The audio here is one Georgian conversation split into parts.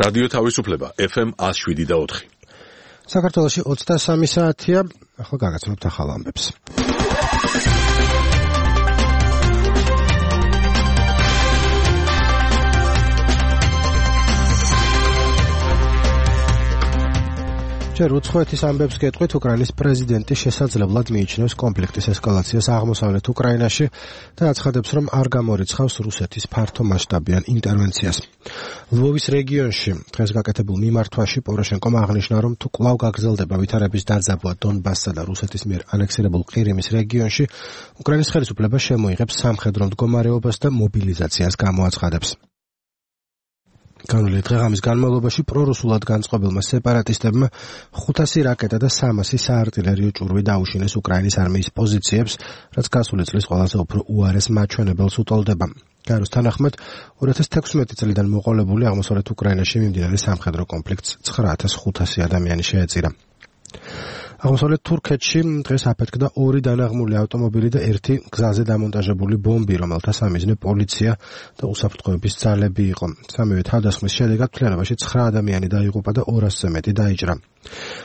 რადიო თავისუფლება FM 107.4. საქართველოში 23 საათია, ახლა გაგაცნობთ ახალ ამბებს. ჯერ უცხოეთის ამბებს გეტყვით, უკრაინის პრეზიდენტი შესაძლებლად მიიჩნევს კონფლიქტის ესკალაციას აღმოსავლეთ უკრაინაში და აცხადებს, რომ არ გამორიცხავს რუსეთის ფართომასშტაბიან ინტერვენციას. ლვოვის რეგიონში დღეს გაკეთებულ მიმართვაში პოროშენკომ აღნიშნა, რომ თუ კვლავ გაგრძელდება ვითარების დაძაბვა დონბასსა და რუსეთის მიერ ანექსირებულ ყირიმის რეგიონში, უკრაინის ხელისუფლება შემოიღებს სამხედრო მდგომარეობას და მობილიზაციას გამოაცხადებს. განვლილი დღეღამის განმავლობაში პრორუსულად განწყობილმა სეპარატისტებმა 500 რაკეტა და 300 საარტილერიო ჭურვი დაუშინეს უკრაინის არმიის პოზიციებს, რაც გასული წლის ყველაზე უფრო უარეს მაჩვენებელს უტოლდება. გაეროს თანახმად 2016 წლიდან მოყოლებული აღმოსავლეთ უკრაინაში მიმდინარე სამხედრო კონფლიქტს 9500 ადამიანი შეეწირა. აღმოსავლეთ თურქეთში დღეს აფეთქდა 2 დანაღმული ავტომობილი და 1 გზაზე დამონტაჟებული ბომბი, რომელთა სამიზნე პოლიცია და უსაფრთხოების ძალები იყო. სამივე თავდასხმის შედეგად მთლიანობაში 9 ადამიანი დაიღუპა და 200-ზე მეტი დაიჭრა.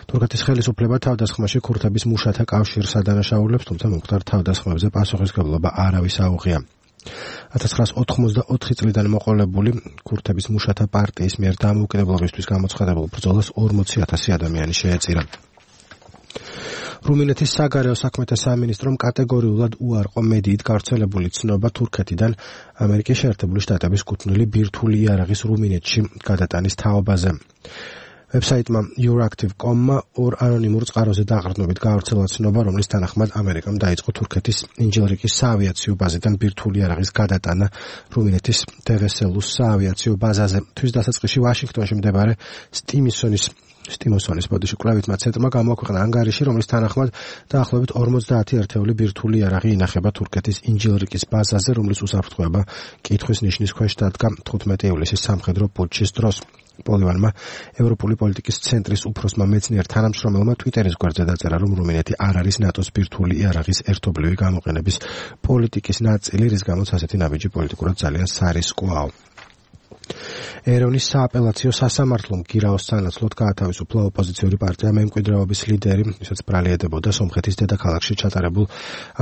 თურქეთის ხელისუფლება თავდასხმაში ქურთების მუშათა კავშირს ადანაშაულებს, თუმცა მომხდარ თავდასხმებზე პასუხისმგებლობა არავის აუღია. 1984 წლიდან მოყოლებული ქურთების მუშათა პარტიის მიერ დამოუკიდებლობისთვის გამოცხადებულ ბრძოლას 40,000 ადამიანი შეეწირა. რუმინეთის საგარეო საქმეთა სამინისტრომ კატეგორიულად უარყო მედიით გავრცელებული ცნობა თურქეთიდან ამერიკის შეერთებული შტატების კუთვნილი ბირთვული იარაღის რუმინეთში გადატანის თაობაზე. ვებსაიტმა Euractiv.com-მა 2 ანონიმურ წყაროზე დაყრდნობით გავრცელა ცნობა, რომლის თანახმად ამერიკამ დაიწყო თურქეთის ინჯილრიკის საავიაციო ბაზიდან ბირთვული იარაღის გადატანა რუმინეთის დევესელუს საავიაციო ბაზაზე. თვის დასაწყისში ვაშინგტონში მდებარე სტიმოსონის ბოდიში კვლევითმა ცენტრმა გამოაქვეყნა ანგარიში, რომლის თანახმად დაახლოებით 50 ერთეული ბირთვული იარაღი ინახება თურქეთის ინჯილრიკის ბაზაზე, რომლის უსაფრთხოება კითხვის ნიშნის ქვეშ დადგა 15 ივლისის სამხედრო პუტჩის დროს. პოლივანმა ევროპული პოლიტიკის ცენტრის უფროსმა მეცნიერ თანამშრომელმა ტვიტერის გვერდზე დაწერა, რომ რუმინეთი არ არის ნატოს ბირთვული იარაღის ერთობლივი გამოყენების პოლიტიკის ნაწილი, რის გამოც ასეთი ნაბიჯი პოლიტიკურად ძალიან სარისკოა. ერევნის სააპელაციო სასამართლომ გირაოს სანაცვლოდ გაათავისუფლა ოპოზიციური პარტია მემკვიდრეობის ლიდერი, ვისაც ბრალია ედებოდა სომხეთის დედაქალაქში ჩატარებულ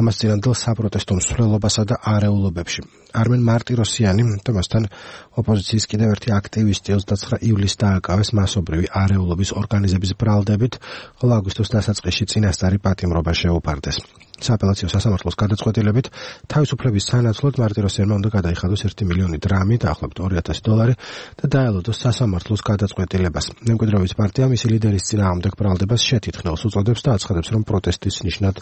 ამას წინანდელ საპროტესტო მსვლელობასა და არეულობებში. არმენ მარტიროსიანი და მასთან ოპოზიციის კიდევ ერთი აქტივისტი 29 ივლისს დააკავეს მასობრივი არეულობის ორგანიზების ბრალდებით, ხოლო აგვისტოს დასაწყისში წინასწარი პატიმრობა შეუფარდეს. სააპელაციო სასამართლოს გადაწყვეტილებით თავისუფლების სანაცვლოდ მარტიროსიანმა უნდა გადაიხადოს 1 მილიონი დრამი, დაახლოებით $2,000 და დაელოდოს სასამართლოს გადაწყვეტილებას. მემკვიდრეობის პარტია მისი ლიდერის წინააღმდეგ ბრალდებას შეთითხნელს უწოდებს და აცხადებს, რომ პროტესტის ნიშნად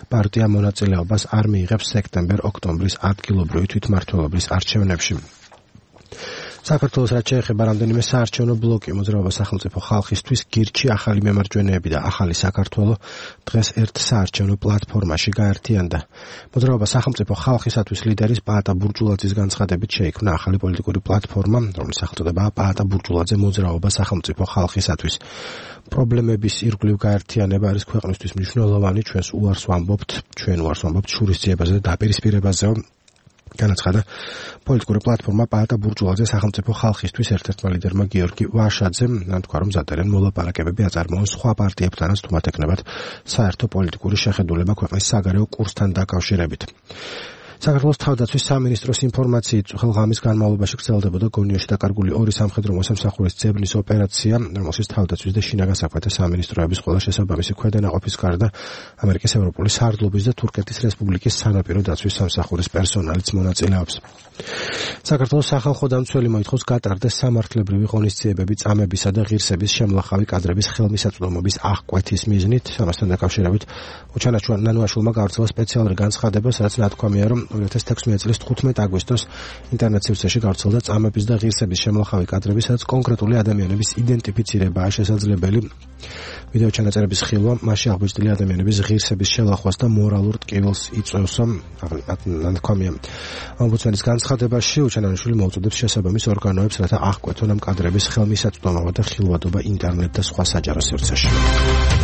პარტია მონაწილეობას არ მიიღებს სექტემბერ-ოქტომბრის ადგილობრივი თვითმმართველობის არჩევნებში. საქართველოს რაც შეეხება რამდენიმე საარჩევნო ბლოკი მოძრაობა სახელმწიფო ხალხისთვის გირჩი ახალი მემარჯვენეები და ახალი საქართველო დღეს ერთ საარჩევნო პლატფორმაში გაერთიანდა. მოძრაობა სახელმწიფო ხალხისათვის ლიდერის პაატა ბურჯულაძის განცხადებით შეიქმნა ახალი პოლიტიკური პლატფორმა, რომლის სახელწოდებაა პაატა ბურჯულაძე მოძრაობა სახელმწიფო ხალხისათვის. პრობლემების ირგვლივ გაერთიანება არის ქვეყნისთვის მნიშვნელოვანი, ჩვენ უარს ვამბობთ შურისძიებაზე და დაპირისპირებაზე. განაცხადა პოლიტიკური პლატფორმა პაატა ბურჯულაძე სახელმწიფო ხალხისთვის ერთ-ერთმა ლიდერმა გიორგი ვაშაძემ, თქვა, რომ მზადდნენ მოლაპარაკებები აწარმოონ სხვა პარტიებთანაც, თუმცა ეკნებათ საერთო პოლიტიკური შეხედულება ქვეყნის საგარეო კურსთან დაკავშირებით. საქართველოს თავდაცვის სამინისტროს ინფორმაციით ხელღამის განმავლობაში გრძელდებოდა გონიაში დაკარგული 2 სამხედრო მოსამსახურის ძებნის ოპერაცია, რომელშიც თავდაცვის და შინაგან საქმეთა სამინისტროების ყველა შესაბამისი ქვედანაყოფის გარდა ამერიკის ევროპული სარდლობის და თურქეთის რესპუბლიკის სანაპირო დაცვის სამსახურის პერსონალიც მონაწილეობს. საქართველოს სახალხო დამცველი მოითხოვს გატარდეს სამართლებრივი ღონისძიებები წამებისა და ღირსების შემლახავი კადრების ხელმისაწვდომობის აღკვეთის მიზნით. ამასთან დაკავშირებით უჩანაჩვარ ნანუაშვილმა გავრცელა სპეციალური განცხადება, სადაც ნათქვამია, რომ 2016 წლის 15 აგვისტოს ინტერნეტ სივრცეში გავრცელდა წამების და ღირსების შემლახავი კადრები, სადაც კონკრეტული ადამიანების იდენტიფიცირებაა შესაძლებელი. ვიდეო ჩანაწერების ხილვა მასში აღბეჭდილი ადამიანების ღირსების შელახვას და მორალურ ტკივილს იწვევს. ნათქვამია ომბუდსმენის განცხადებაში, უჩანანიშვილი მოუწოდებს შესაბამის ორგანოებს, რათა აღკვეთონ ამ კადრების ხელმისაწვდომობა და ხილვადობა ინტერნეტ და სხვა საჯარო სივრცეში.